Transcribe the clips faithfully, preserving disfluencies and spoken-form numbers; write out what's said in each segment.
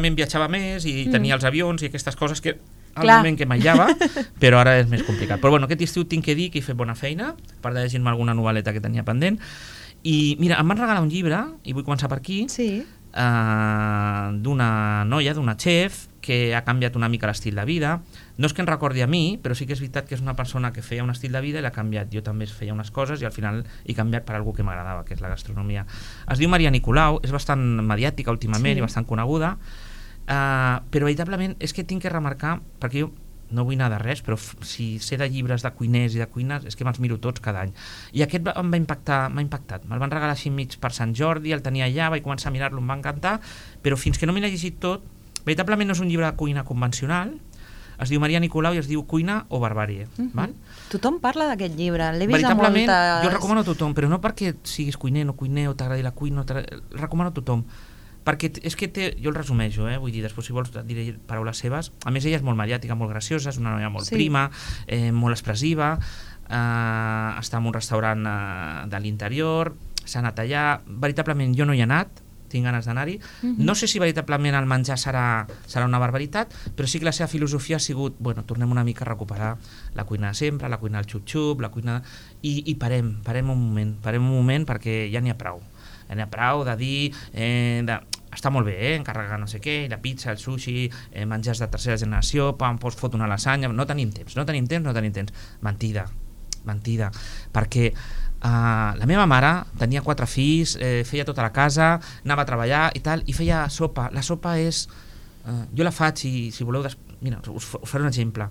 realment viatjava més i tenia els avions i aquestes coses que al Clar. moment que m'aïllava, però ara és més complicat. Però bueno, aquest estiu tinc que dir que he fet bona feina, a part de llegir-me alguna novel·leta que tenia pendent. I mira, em van regalar un llibre, i vull començar per aquí, Sí. uh, d'una noia, d'una chef, que ha canviat una mica l'estil de vida. No és que em recordi a mi, però sí que és veritat que és una persona que feia un estil de vida i l'ha canviat. Jo també feia unes coses i al final he canviat per algú que m'agradava, que és la gastronomia. Es diu Maria Nicolau, és bastant mediàtica últimament Sí. i bastant coneguda, uh, però veritablement és que tinc que remarcar, perquè jo no vull anar de res, però f- si sé de llibres de cuiners i de cuines és que me'ls miro tots cada any. I aquest va- em va impactar, m'ha impactat. Me'l van regalar així mig per Sant Jordi, el tenia allà, vaig començar a mirar-lo, em va encantar, però fins que no me l'he llegit tot, veritablement no és un llibre de cuina convencional, es diu Maria Nicolau i es diu Cuina o Barbàrie. Mhm. Val? Tothom parla d'aquest llibre, l'he vist a Veritablement, moltes... jo el recomano a tothom, però no perquè siguis cuiner, no cuiner, o t'agradi la cuina, no t'agradi- el recomano a tothom. Perquè t- és que té, jo el resumeixo, eh? Vull dir, després si vols et diré paraules seves. A més, ella és molt mediàtica, molt graciosa, és una noia molt Sí. prima, eh, molt expressiva, eh, està en un restaurant eh, de l'interior, s'ha anat allà, veritablement jo no hi he anat, tinc ganes d'anar-hi. Mhm. No sé si veritablement el menjar serà, serà una barbaritat, però sí que la seva filosofia ha sigut, bueno, tornem una mica a recuperar la cuina de sempre, la cuina del xup-xup, la cuina... I, i parem, parem un moment, parem un moment perquè ja n'hi ha prou. Ja n'hi ha prou de dir... Eh, de... Està molt bé, eh? Encarregar no sé què, la pizza, el sushi, eh, menjars de tercera generació, pam, pots fotre una lasanya... No tenim temps, no tenim temps, no tenim temps. Mentida, mentida. Perquè Uh, la meva mare tenia quatre fills, eh, feia tota la casa, anava a treballar i tal, i feia sopa. La sopa és... Uh, jo la faig i si voleu... Des... Mira, us, us faré un exemple.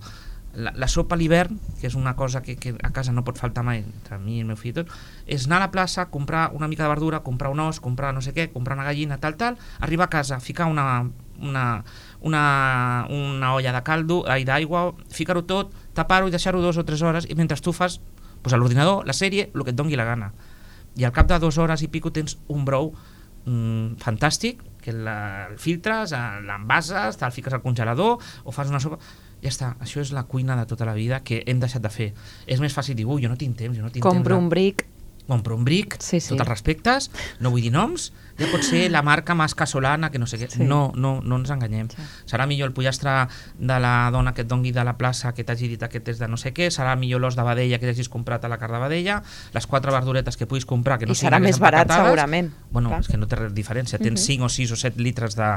La, la sopa a l'hivern, que és una cosa que, que a casa no pot faltar mai, entre mi i el meu fill i tot, és anar a la plaça, comprar una mica de verdura, comprar un os, comprar no sé què, comprar una gallina, tal, tal, arribar a casa, ficar una, una, una, una olla de caldo, ai, d'aigua, ficar-ho tot, tapar-ho i deixar-ho dues o tres hores, i mentre tu fas pues, a l'ordinador, la sèrie, el que et dongui la gana. I al cap de dues hores i pico tens un brou mm, fantàstic, que la, el filtres, l'envases, te'l fiques al congelador, o fas una sopa... Ja està, això és la cuina de tota la vida que hem deixat de fer. És més fàcil dir, ui, jo no tinc temps, jo no tinc Compro temps. un bric. Compro un bric, Sí, sí. tots els respectes, no vull dir noms, ja pot ser la marca més casolana, que no sé què. Sí. No, no, no ens enganyem. Sí. Serà millor el pollastre de la dona que et dongui de la plaça, que t'hagi dit aquest és de no sé què, serà millor l'os de vedella que t'hagis comprat a la carn de vedella, les quatre verduretes que puguis comprar, que no I serà siguin més barat, empaquetades. segurament. Bueno, Clar. és que no té res de diferència. Tens Mhm. cinc o sis o set litres de,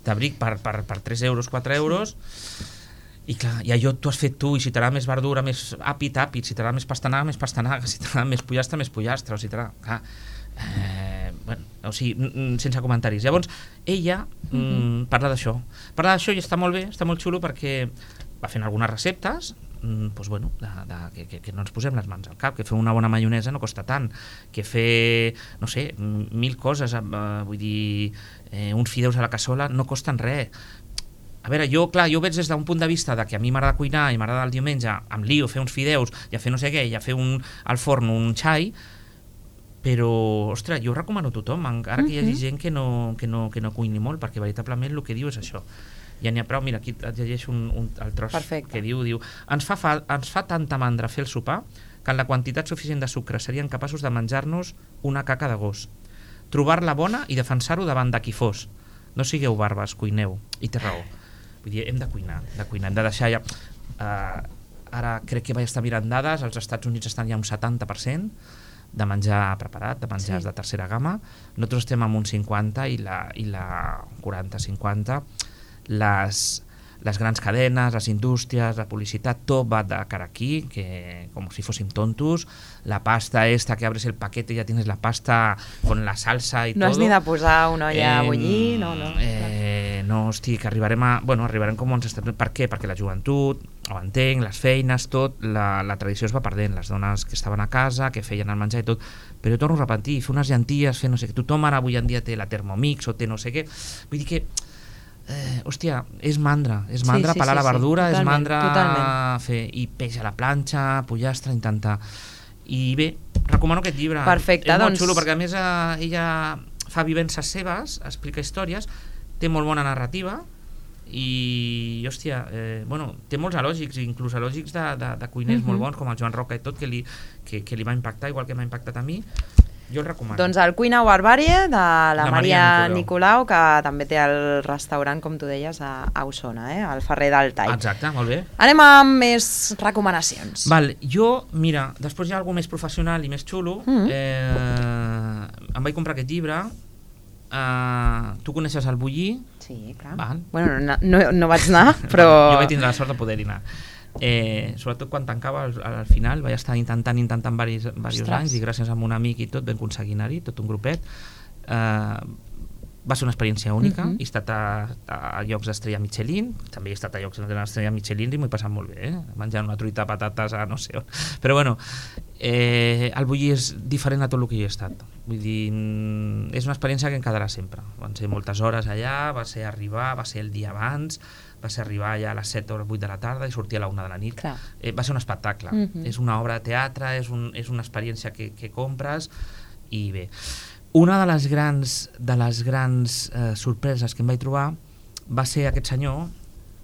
de bric per, per, per tres euros, quatre euros... I clar, i allò t'ho has fet tu, i si t'agrada més verdura, més àpid, àpid, si t'agrada més pastanaga, més pastanaga, si t'agrada més pollastre, més pollastre, o si t'agrada... Clar, eh, bueno, o sigui, mm, sense comentaris. Llavors, ella mm, parla d'això. Parla d'això i està molt bé, està molt xulo perquè va fent algunes receptes, mm, doncs, bueno, de, de, que, que, que no ens posem les mans al cap, que fer una bona maionesa no costa tant, que fer, no sé, mil coses, eh, vull dir, eh, uns fideus a la cassola no costen res. A veure, jo, clar, jo ho veig des d'un punt de vista de que a mi m'agrada cuinar i m'agrada el diumenge amb lío fer uns fideus i a fer no sé què, i a fer un, al forn un xai, però, ostres, jo ho recomano a tothom, encara que hi hagi gent que no, que no, que no cuini molt, perquè veritablement el que diu és això. Ja n'hi ha prou, mira, aquí et llegeixo un, un, el tros Perfecte. que diu, diu ens fa, fa, ens fa tanta mandra fer el sopar que en la quantitat suficient de sucre serien capaços de menjar-nos una caca de gos. Trobar-la bona i defensar-ho davant de qui fos. No sigueu barbes, cuineu. I té raó. Vull dir, hem de cuinar, de cuinar, hem de deixar ja... Uh, ara crec que vaig estar mirant dades, als Estats Units estan ja un setanta per cent de menjar preparat, de menjars Sí. de tercera gamma. Nosaltres estem amb un cinquanta i la, i la quaranta cinquanta. Les, les grans cadenes, les indústries, la publicitat, tot va de cara aquí, que com si fóssim tontos. La pasta esta que abres el paquete y ya tienes la pasta con la salsa y No todo. has ni de posar una olla Eh, a bullir, no, no. Eh, no, hosti, que arribarem a... Bueno, arribarem com ens estem... Per què? Perquè la joventut, ho entenc, les feines, tot, la, la tradició es va perdent, les dones que estaven a casa, que feien el menjar i tot, però jo torno a repetir, fer unes llenties, fer no sé què, tothom ara avui en dia té la Thermomix o té no sé què, vull dir que eh, hòstia, és mandra, és Sí, mandra sí, pelar sí, la sí, verdura, és totalment, mandra totalment. fer, i peix a la planxa, pollastre, intentar... I bé, recomano aquest llibre. Perfecte, és molt doncs- xulo, perquè a més eh, ella fa vivències seves, explica històries, té molt bona narrativa i, hòstia, eh, bueno, té molts elògics, inclús elògics de, de, de cuiners Mhm. molt bons, com el Joan Roca i tot, que li, que, que li va impactar, igual que m'ha impactat a mi. Jo el recomano. Doncs el Cuina o Barbàrie de la, La Maria Maria Nicolau, que també té el restaurant, com tu deies, a, a Osona, eh? Al Ferrer del Tall. Exacte, molt bé. Anem amb més recomanacions. Val, jo, mira, després hi ha alguna més professional i més xulo. Mm. Eh, em vaig comprar aquest llibre. Eh, tu coneixes el Bullí? Sí, clar. Val. Bueno, no, no, no vaig anar, però... Jo vaig tindre la sort de poder-hi anar. Eh, sobretot quan tancava al, al final vaig estar intentant intentant varis, varis anys i gràcies a un amic i tot vam aconseguir anar-hi, tot un grupet. eh, va ser una experiència única. Uh -huh. He estat a, a llocs d'estrella Michelin, també he estat a llocs d'estrella Michelin i m'ho he passat molt bé, eh? Menjant una truita de patates a no sé on, però bueno, eh, el Bullí és diferent a tot el que jo he estat, vull dir, és una experiència que em quedarà sempre. Van ser moltes hores allà, va ser arribar, va ser el dia abans, va ser arribar ja a les set o les vuit de la tarda i sortir a la una de la nit. Eh, va ser un espectacle. Uh -huh. És una obra de teatre, és, un, és una experiència que, que compres i bé. Una de les grans, de les grans eh, sorpreses que em vaig trobar va ser aquest senyor.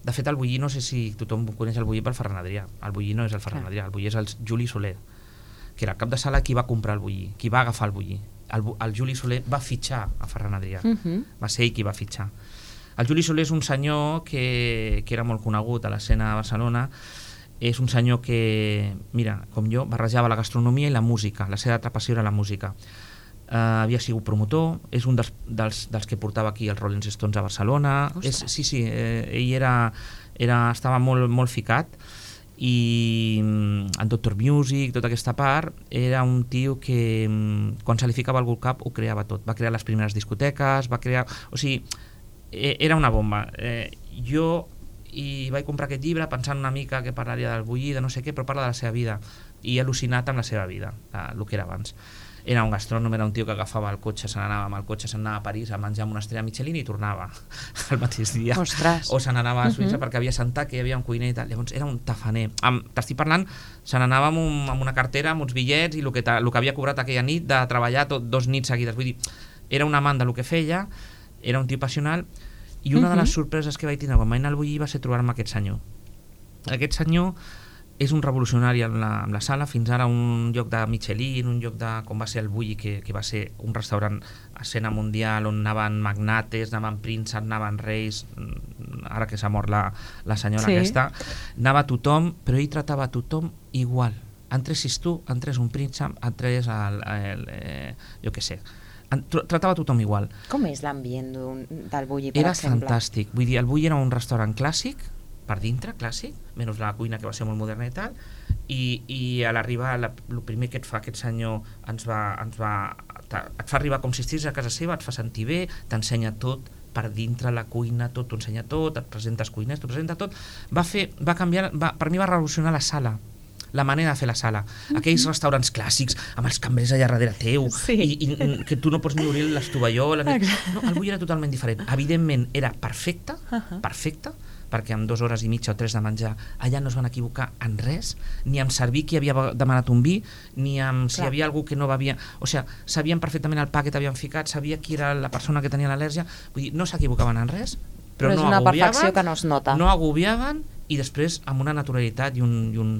De fet, el Bullí, no sé si tothom coneix el Bullí pel Ferran Adrià. El Bullí no és el Ferran Adrià, el Bullí és el Juli Soler, que era el cap de sala qui va comprar el Bullí, qui va agafar el Bullí. El, el Juli Soler va fitxar a Ferran Adrià. Uh -huh. Va ser ell qui va fitxar. El Juli Soler és un senyor que, que era molt conegut a l'escena de Barcelona. És un senyor que, mira, com jo, barrejava la gastronomia i la música. La seva atrapació era la música. Uh, havia sigut promotor, és un dels, dels, dels que portava aquí els Rolling Stones a Barcelona. És, sí, sí, eh, ell era, era, estava molt, molt ficat i en Doctor Music, tota aquesta part, era un tio que quan se li ficava algú al cap ho creava tot. Va crear les primeres discoteques, va crear... O sigui, era una bomba. Eh, jo i vaig comprar aquest llibre pensant una mica que parlaria del Bullí, de no sé què, però parla de la seva vida i he al·lucinat amb la seva vida, el que era abans. Era un gastrònom, era un tio que agafava el cotxe, se n'anava amb el cotxe, se n'anava a París a menjar amb una estrella Michelin i tornava el mateix dia. Ostres. O se n'anava a Suïssa uh-huh. perquè havia sentat que hi havia un cuiner i tal. Llavors era un tafaner. T'estic parlant, se n'anava amb, un, amb una cartera, amb uns bitllets i el que, el que havia cobrat aquella nit de treballar tot, dos nits seguides. Vull dir, era un amant del que feia, era un tio passional i una uh-huh. de les sorpreses que vaig tindre quan vaig anar al Bullí va ser trobar-me aquest senyor. Aquest senyor és un revolucionari amb la, amb la sala, fins ara un lloc de Michelin, un lloc de com va ser el Bullí, que, que va ser un restaurant a escena mundial on anaven magnates, anaven prínceps, anaven reis, ara que s'ha mort la, la senyora sí. aquesta, anava tothom, però ell tratava a tothom igual. Entressis tu, entrés un príncep, entrés el, el, el, eh, jo què sé, tratava a tothom igual. Com és l'ambient del Bullí, per era exemple? Era fantàstic, vull dir, el Bullí era un restaurant clàssic, per dintre, clàssic, menys la cuina que va ser molt moderna i tal, i, i a l'arribar, el primer que et fa aquest senyor ens va, ens va, et fa arribar com si estiguis a casa seva, et fa sentir bé, t'ensenya tot per dintre la cuina, tot, t'ho ensenya tot, et presenta els cuiners, t'ho presenta tot, va fer, va canviar, va, per mi va revolucionar la sala, la manera de fer la sala. Aquells restaurants clàssics amb els cambrers allà darrere teu sí. i, i que tu no pots ni obrir l'estovallola. No, el Bullí era totalment diferent. Evidentment era perfecte, uh-huh. perfecte, perquè amb dues hores i mitja o tres de menjar allà no es van equivocar en res, ni amb servir qui havia demanat un vi, ni amb si hi havia algú que no bevia, o sigui, sabien perfectament el pa que t'havien ficat, sabia qui era la persona que tenia l'al·lèrgia, vull dir, no s'equivocaven en res, però, però és no una agobiaven, perfecció que no es nota. No agobiaven i després amb una naturalitat i un... I, un...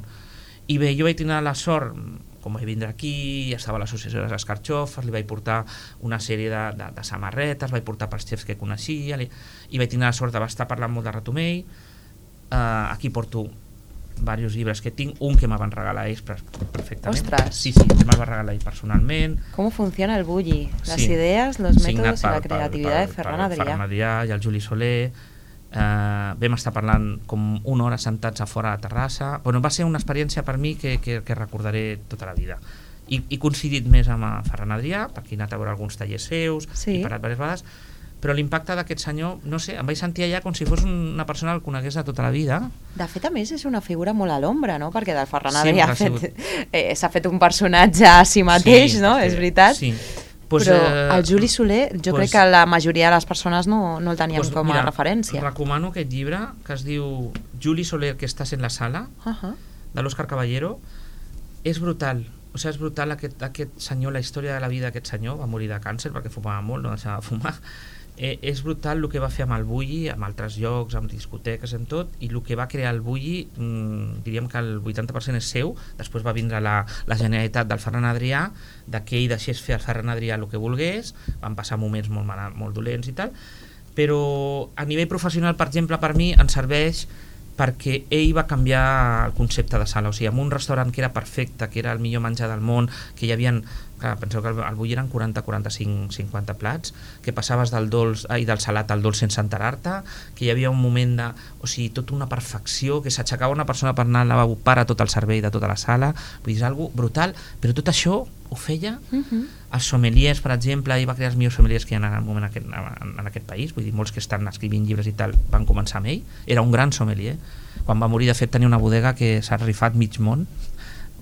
I bé, jo vaig tenir la sort, com vaig vindre aquí, estava a l'associació de les Escarxofes, li vaig portar una sèrie de, de, de samarretes, vaig portar pels xefs que coneixia, li, i vaig tenir la sort d'estar parlant molt de Ratomell. Uh, aquí porto diversos llibres que tinc, un que me van regalar ells perfectament. Ostres! Sí, sí, me'l va regalar ell personalment. Com funciona el Bullí? Les sí. idees, los métodos i la creativitat de Ferran Adrià. Ferran Adrià i el Juli Soler. Uh, vam estar parlant com una hora sentats a fora a la terrassa. Bueno, va ser una experiència per mi que, que, que recordaré tota la vida. I he coincidit més amb Ferran Adrià, perquè he anat a veure alguns tallers seus, sí. he parat diverses vegades, però l'impacte d'aquest senyor, no sé, em vaig sentir allà com si fos una persona que el conegués de tota la vida. De fet, a més, és una figura molt a l'ombra, no? Perquè del Ferran sí, Adrià eh, s'ha fet un personatge a si mateix, sí, no? És veritat? Sí. Pues, però eh, el Juli Soler, jo pues, crec que la majoria de les persones no, no el teníem pues, com a mira, referència. Recomano aquest llibre que es diu Juli Soler, que estàs en la sala, uh-huh. de l'Òscar Caballero. És brutal, o sigui, és brutal aquest, aquest senyor, la història de la vida d'aquest senyor, va morir de càncer perquè fumava molt, no deixava de fumar. eh, és brutal el que va fer amb el Bulli, amb altres llocs, amb discoteques, amb tot, i el que va crear el Bulli, mmm, diríem que el vuitanta per cent és seu. Després va vindre la, la Generalitat del Ferran Adrià, que ell deixés fer al Ferran Adrià el que volgués, van passar moments molt, mal, molt dolents i tal, però a nivell professional, per exemple, per mi ens serveix perquè ell va canviar el concepte de sala, o sigui, en un restaurant que era perfecte, que era el millor menjar del món, que hi havia, clar, penseu que al Bulli eren quaranta, quaranta-cinc, cinquanta plats, que passaves del dolç i del salat al dolç sense enterar-te, que hi havia un moment de, o sigui, tota una perfecció, que s'aixecava una persona per anar al lavabo para tot el servei de tota la sala, vull dir, és algo brutal, però tot això ho feia uh-huh. els sommeliers, per exemple, ell va crear els millors sommeliers que hi ha en el moment aquest, en, en aquest país, vull dir, molts que estan escrivint llibres i tal van començar amb ell, era un gran sommelier. Quan va morir, de fet, tenia una bodega que s'ha rifat mig món,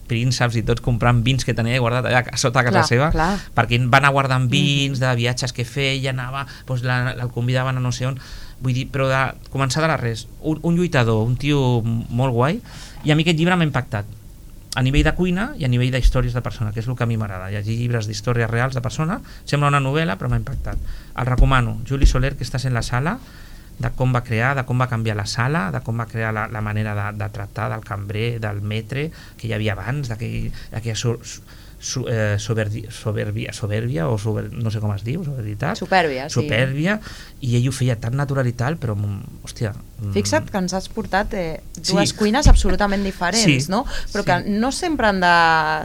prínceps i tots comprant vins que tenia guardat allà a sota a casa clar, seva, clar. perquè van a guardar vins mm. de viatges que feia, anava, doncs la, el convidaven a no sé on, vull dir, però de començar de la res, un, un lluitador, un tio molt guai, i a mi aquest llibre m'ha impactat a nivell de cuina i a nivell d'històries de persona, que és el que a mi m'agrada, llegir llibres d'històries reals de persona, sembla una novel·la però m'ha impactat, el recomano. Juli Soler, que estàs en la sala, de com va crear, de com va canviar la sala, de com va crear la, la manera de, de tractar del cambrer, del metre que hi havia abans, d'aquella so, so, eh, soberdi, soberbia, soberbia o sober, no sé com es diu, soberbitat, supèrbia, sí. supèrbia, i ell ho feia tan natural i tal, però hòstia, fixa't que ens has portat eh, dues sí. cuines absolutament diferents, sí. no? Però sí. que no sempre han de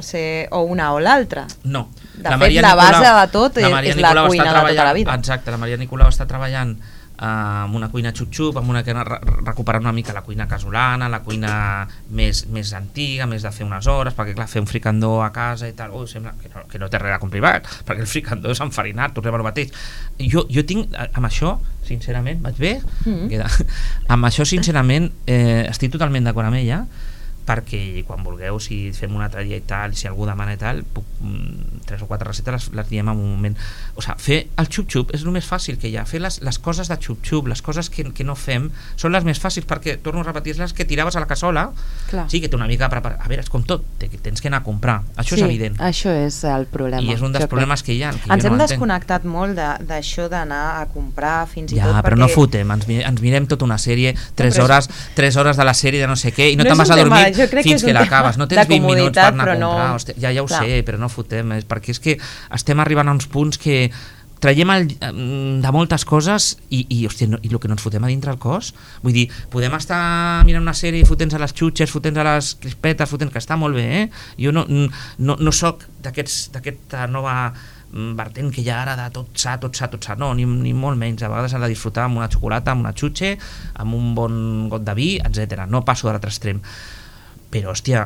ser o una o l'altra. No. De la fet, la base de tot és la, és la cuina de tota la vida. Exacte, la Maria Nicolau està treballant Uh, amb una cuina xup-xup, amb una que re recuperant una mica la cuina casolana, la cuina més, més antiga, més de fer unes hores, perquè clar, fer un fricandó a casa i tal, ui, sembla que no, que no té res de complicat, perquè el fricandó és enfarinat, tornem al mateix. Jo, jo tinc, amb això, sincerament, vaig bé? Mm. Queda. Amb això, sincerament, eh, estic totalment d'acord amb ella, perquè quan vulgueu, si fem un altre dia i tal, si algú demana i tal, puc, mm, tres o quatre receptes les, les diem en un moment. O sigui, fer el xup-xup és el més fàcil que hi ha, fer les, les coses de xup-xup, les coses que, que no fem són les més fàcils, perquè, torno a repetir, les que tiraves a la cassola. Clar. Sí, que té una mica preparat, a veure, és com tot, tens que anar a comprar, això sí, és evident. Això és el problema. I és un dels problemes que hi ha. Que ens hem no desconnectat molt d'això d'anar a comprar fins i ja, tot perquè... però no fotem, ens, ens mirem tota una sèrie, tres hores, tres hores de la sèrie de no sé què, i no, no te'n vas a dormir fins que l'acabes, no tens vint minuts per anar a comprar, no... Hosti, ja, ja ho clar. sé, però no fotem, és perquè és que estem arribant a uns punts que traiem el, de moltes coses i, i, hòstia, no, i el que no ens fotem a dintre el cos, vull dir, podem estar mirant una sèrie i fotent a les xutxes, fotent a les crispetes, fotent, que està molt bé, eh? Jo no, no, no soc d'aquesta nova vertent que hi ha ara de tot sa, tot sa, tot sa, no, ni, ni molt menys, a vegades s'ha de disfrutar amb una xocolata, amb una xutxe, amb un bon got de vi, etcètera. No passo de l'altre extrem. Però, hòstia,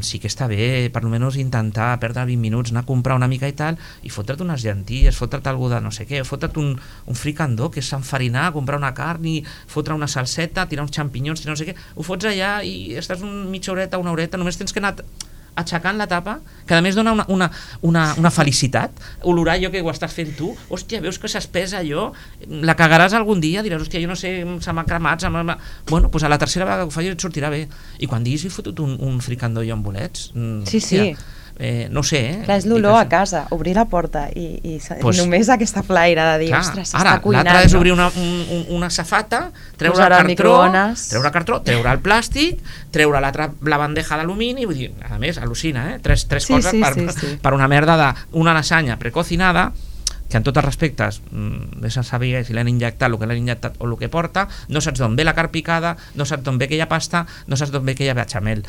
sí que està bé per almenys intentar perdre vint minuts, anar a comprar una mica i tal, i fotre't unes llenties, fotre't algú de no sé què, fotre't un, un fricandó, que és enfarinar, comprar una carn i fotre una salseta, tirar uns xampinyons, tirar no sé què, ho fots allà i estàs una mitja horeta, una horeta, només tens que anar aixecant la tapa, que a més dona una, una, una, una felicitat, olorar allò que ho estàs fent tu, hòstia, veus que s'espesa allò, la cagaràs algun dia, diràs, hòstia, jo no sé, se m'ha cremat, se m'ha... Bueno, doncs a la tercera vegada que ho facis et sortirà bé, i quan diguis he fotut un, un fricandó i amb bolets, sí, hòstia, sí. Eh, no sé, eh? Clar, és l'olor a casa, obrir la porta i, i pues, només aquesta flaire de dir, clar, ostres, s'està cuinant. L'altre és obrir una, un, una safata, treure el cartró, treure el cartró, treure el plàstic, treure l'altra la bandeja d'alumini, vull dir, a més, al·lucina, eh? Tres, tres sí, coses sí, per, sí, sí. per una merda d'una lasanya precocinada, que en tots els respectes no se sabia si l'han injectat, el que l'han injectat o el que porta, no saps d'on ve la carn picada, no saps d'on ve aquella pasta, no saps d'on ve aquella bechamel.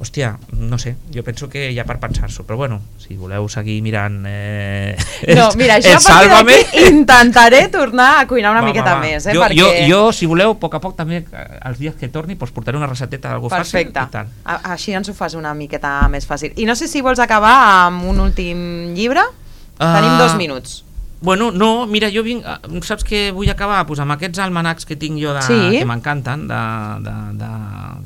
Hòstia, no sé, jo penso que hi ha per pensar-s'ho, però bueno, si voleu seguir mirant eh, no, mira, això a partir d'aquí intentaré tornar a cuinar una va, miqueta va, va. més, eh, jo, perquè... Jo, jo, si voleu, a poc a poc també, els dies que torni, doncs portaré una recepteta d'algú fàcil. Perfecte, i tal. Així ens ho fas una miqueta més fàcil. I no sé si vols acabar amb un últim llibre, uh... tenim dos minuts. Bueno, no, mira, jo vinc, saps què vull acabar? Pues amb aquests almanacs que tinc jo de, sí. que m'encanten de, de, de,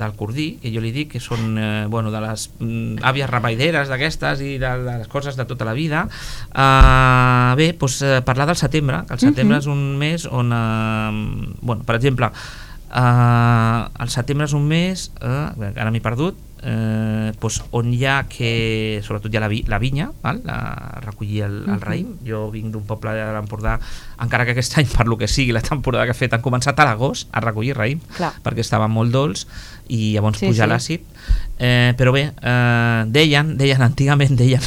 del Cordí, que jo li dic que són eh, bueno, de les mm, àvies rapaideres d'aquestes i de, de les coses de tota la vida. Uh, bé, pues, uh, parlar del setembre, que el setembre uh-huh. és un mes on, uh, bueno, per exemple, uh, el setembre és un mes, uh, ara m'he perdut, eh, doncs on hi ha que, sobretot hi ha la, vi, la vinya, val? La, recollir el, el raïm. Jo vinc d'un poble de l'Empordà, encara que aquest any, per lo que sigui, la temporada que he fet, han començat a l'agost a recollir raïm, Clar. perquè estava molt dolç i llavors sí, puja sí. l'àcid. Eh, però bé, eh, deien, deien, antigament deien,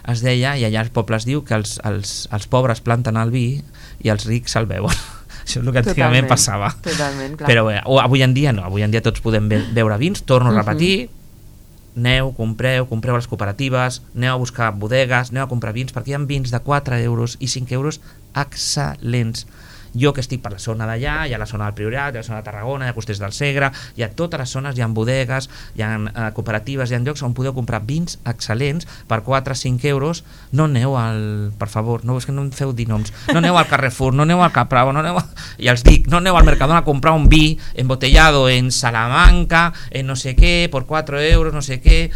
es deia, i allà el poble es diu, que els, els, els pobres planten el vi i els rics el beuen. Això és el que antigament totalment, passava. Totalment, clar. Però bé, o avui en dia no, avui en dia tots podem be beure vins, torno a repetir, uh -huh. aneu, compreu, compreu a les cooperatives, aneu a buscar bodegues, aneu a comprar vins, perquè hi ha vins de quatre euros i cinc euros excel·lents. Jo que estic per la zona d'allà, hi ha la zona del Priorat, hi ha la zona de Tarragona, hi ha Costers del Segre, hi ha totes les zones, hi ha bodegues, hi ha eh, cooperatives, hi ha llocs on podeu comprar vins excel·lents per quatre a cinc euros. No aneu al... per favor, no, és que no em feu dir noms, no aneu al Carrefour, no aneu al Capravo, no aneu a, i els dic, no aneu al Mercadona a comprar un vi embotellado en Salamanca, en no sé què, por quatre euros, no sé què,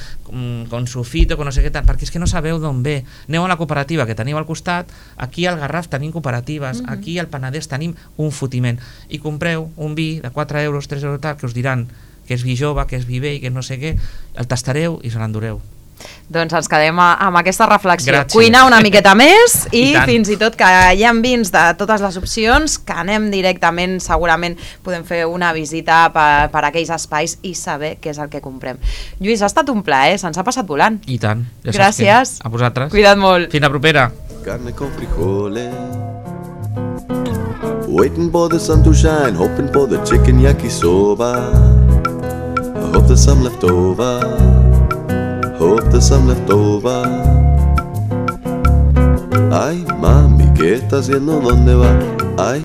con sulfito, con no sé què tal, perquè és que no sabeu d'on ve. Aneu a la cooperativa que teniu al costat, aquí al Garraf tenim cooperatives, uh -huh. aquí al Penedès tenim un fotiment, i compreu un vi de quatre euros, tres euros tal, que us diran que és vi jove, que és vi vell, que no sé què, el tastareu i se l'endureu. Doncs ens quedem amb aquesta reflexió. Gràcies. Cuinar una miqueta més i, I fins i tot que hi ha vins de totes les opcions, que anem directament, segurament podem fer una visita per, per aquells espais i saber què és el que comprem. Lluís, ha estat un plaer, se'ns ha passat volant. I tant. Ja Gràcies. A vosaltres. Cuida't molt. Fins la propera. Carne con frijoles, waiting for the sun to shine, hoping for the chicken yakisoba. I hope there's some left over, hope there's some left over. Ay, mami, ¿qué está haciendo? ¿Dónde va? Ay.